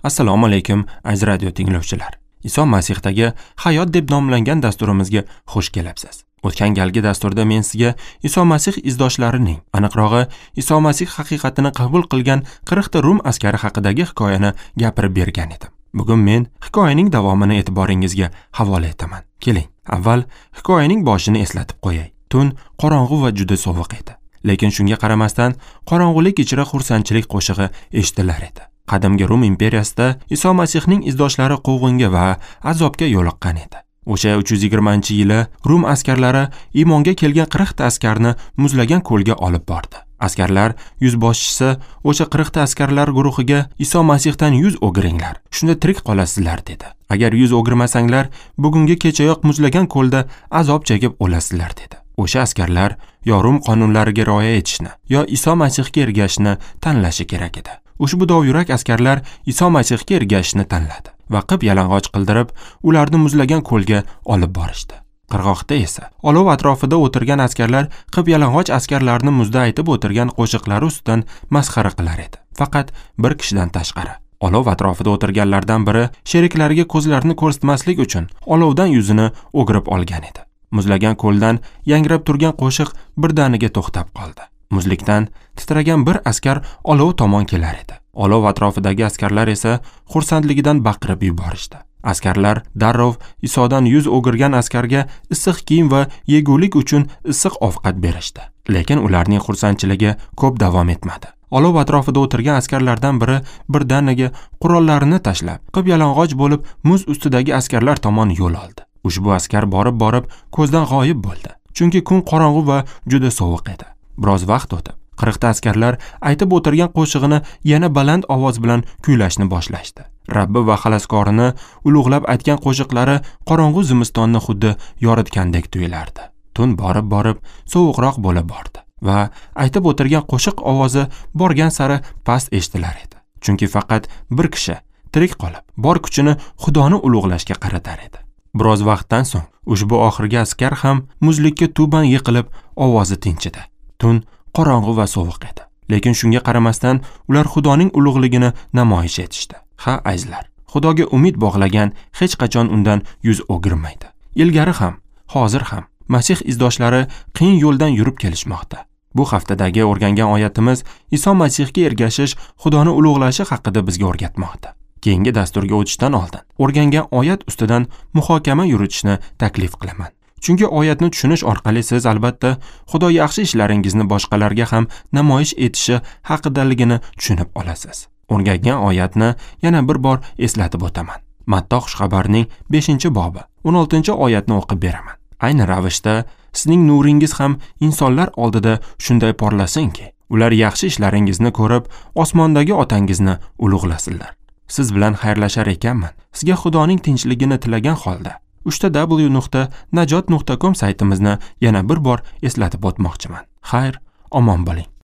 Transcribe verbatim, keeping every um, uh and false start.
Assalomu alaykum aziz radio tinglovchilar. Iso Masihdagi hayot deb nomlangan dasturimizga xush kelibsiz. O'tgan galgi dasturda men sizga Iso Masih izdoshlarining, aniqrog'i Iso Masih haqiqatini qabul qilgan qirq ta Rum askari haqidagi hikoyani gapirib bergan edim. Bugun men hikoyaning davomini e'tiboringizga havola etaman. Keling, avval hikoyaning boshini eslatib qo'yay. Tun qorong'u va juda sovuq edi. Lekin shunga qaramasdan qorong'ulik ichra xursandchilik qo'shig'i eshitilar edi. Qadimgi Rum imperiyasida Iso Masihning izdoshlari quvg'inga va azobga yo'liqqan edi. O'sha uch yuz yigirmanchi yili Rum askarlari iymonga kelgan qirq ta askarni muzlagan ko'lga olib bordi. Askarlar yuzboshchisi o'sha qirq ta askarlar guruhiga Iso Masihdan yuz o'giringlar, shunda tirik qolasizlar dedi. Agar yuz o'girmasanglar, bugungi kechayoq muzlagan ko'lda azob chekib o'lasizlar dedi. O'sha askarlar yo Rum qonunlariga rioya etishni, yo Iso Masihga ergashishni tanlashi kerak edi. Ushbu dovyurak askarlar Iso Masihga ergashishni tanladi va qip yalang'och qildirib, ularni muzlagan ko'lga olib borishdi. Qirg'oqda esa olov atrofida o'tirgan askarlar qip yalang'och askarlarni muzda aytib o'tirgan qo'shiqlari ustidan masxara qilar edi. Faqat bir kishidan tashqari. Olov atrofida o'tirganlardan biri sheriklariga ko'zlarini ko'rsatmaslik uchun olovdan yuzini o'girib olgan edi. Muzlagan ko'ldan yangrab turgan qo'shiq birdaniga to'xtab qoldi. Muzlikdan titragan bir askar olov tomon kelar edi. Olov atrofidagi askarlar esa xursandligidan baqirib yuborishdi. Askarlar darrov Isodan yuz o'girgan askarga issiq kiyim va yegulik uchun issiq ovqat berishdi. Lekin ularning xursandchiligi ko'p davom etmadi. Olov atrofida o'tirgan askarlardan biri birdaniga qurollarini tashlab, qip yalang'och bo'lib muz ustidagi askarlar tomon yo'l oldi. Ushbu askar borib-borib ko'zdan g'oyib bo'ldi. Chunki kun qorong'u va juda sovuq edi. Biroz vaqt o'tib, qirq ta askarlar aytib o'tirgan qo'shig'ini yana baland ovoz bilan kuylashni boshlashdi. Rabbi va xaloskorini ulug'lab aytgan qo'shiqlari qorong'u zimistonni xuddi yoritgandek tuyulardi. Tun borib-borib sovuqroq bo'la bordi va aytib o'tirgan qo'shiq ovozi borgan sari past eshitilar edi. Chunki faqat bir kishi tirik qolib, bor kuchini Xudoni ulug'lashga qaratar edi. Biroz vaqtdan so'ng ushbu oxirgi askar ham muzlikka tuban yiqilib, ovozi tinchidi. Tun qorong'u va sovuq edi. Lekin shunga qaramasdan ular Xudoning ulug'ligini namoyish etishdi. Ha, azizlar, Xudoga umid bog'lagan hech qachon undan yuz o'girmaydi. Ilgari ham, hozir ham Masih izdoshlari qiyin yo'ldan yurib kelishmoqda. Bu haftadagi o'rgangan oyatimiz Iso Masihga ergashish, Xudoni ulug'lashi haqida bizga o'rgatmoqda. Keyingi dasturga o'tishdan oldin o'rgangan oyat ustidan muhokama yuritishni taklif qilaman. Chunki oyatni tushunish orqali siz albatta Xudo yaxshi ishlaringizni boshqalarga ham namoyish etishi haqidaligini tushunib olasiz. O'rgangan oyatni yana bir bor eslatib o'taman. Matto xushxabarining beshinchi bobi o'n oltinchi oyatni o'qib beraman. Ayni ravishda sizning nuringiz ham insonlar oldida shunday porlasinki, ular yaxshi ishlaringizni ko'rib, osmondagi otangizni ulug'lasinlar. Siz bilan xayrlashar ekanman. Sizga Xudoning tinchligini tilagan holda uchta w nuqta najot nuqta com saytimizni yana bir bor eslatib o'tmoqchiman. Xayr, omon bo'ling.